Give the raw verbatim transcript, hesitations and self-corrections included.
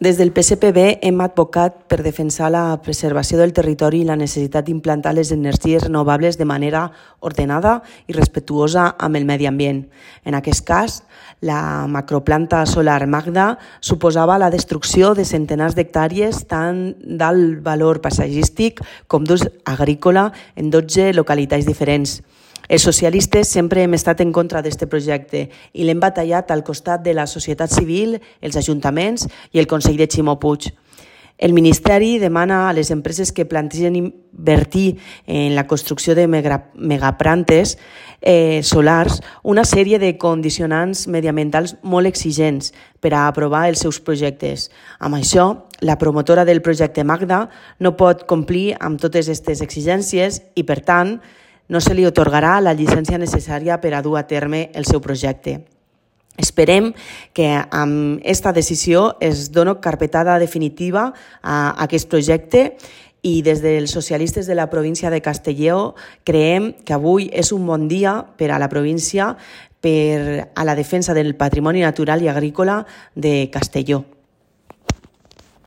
Des del P S P B hem advocat per defensar la preservació del territori i la necessitat d'implantar les energies renovables de manera ordenada i respectuosa amb el medi ambient. En aquest cas, la macroplanta solar Magda suposava la destrucció de centenars d'hectàrees tant d'alt valor paisatgístic com d'ús agrícola en dotze localitats diferents. Els socialistes sempre hem estat en contra d'aquest projecte i l'hem batallat al costat de la societat civil, els ajuntaments i el Consell de Ximo Puig. El Ministeri demana a les empreses que plantegen invertir en la construcció de megaplantes eh, solars una sèrie de condicionants mediambientals molt exigents per a aprovar els seus projectes. Amb això, la promotora del projecte Magda no pot complir amb totes aquestes exigències i, per tant, no se li atorgarà la llicència necessària per a dur a terme el seu projecte. Esperem que amb aquesta decisió es doni carpetada definitiva a aquest projecte i des dels socialistes de la província de Castelló creiem que avui és un bon dia per a la província per a la defensa del patrimoni natural i agrícola de Castelló.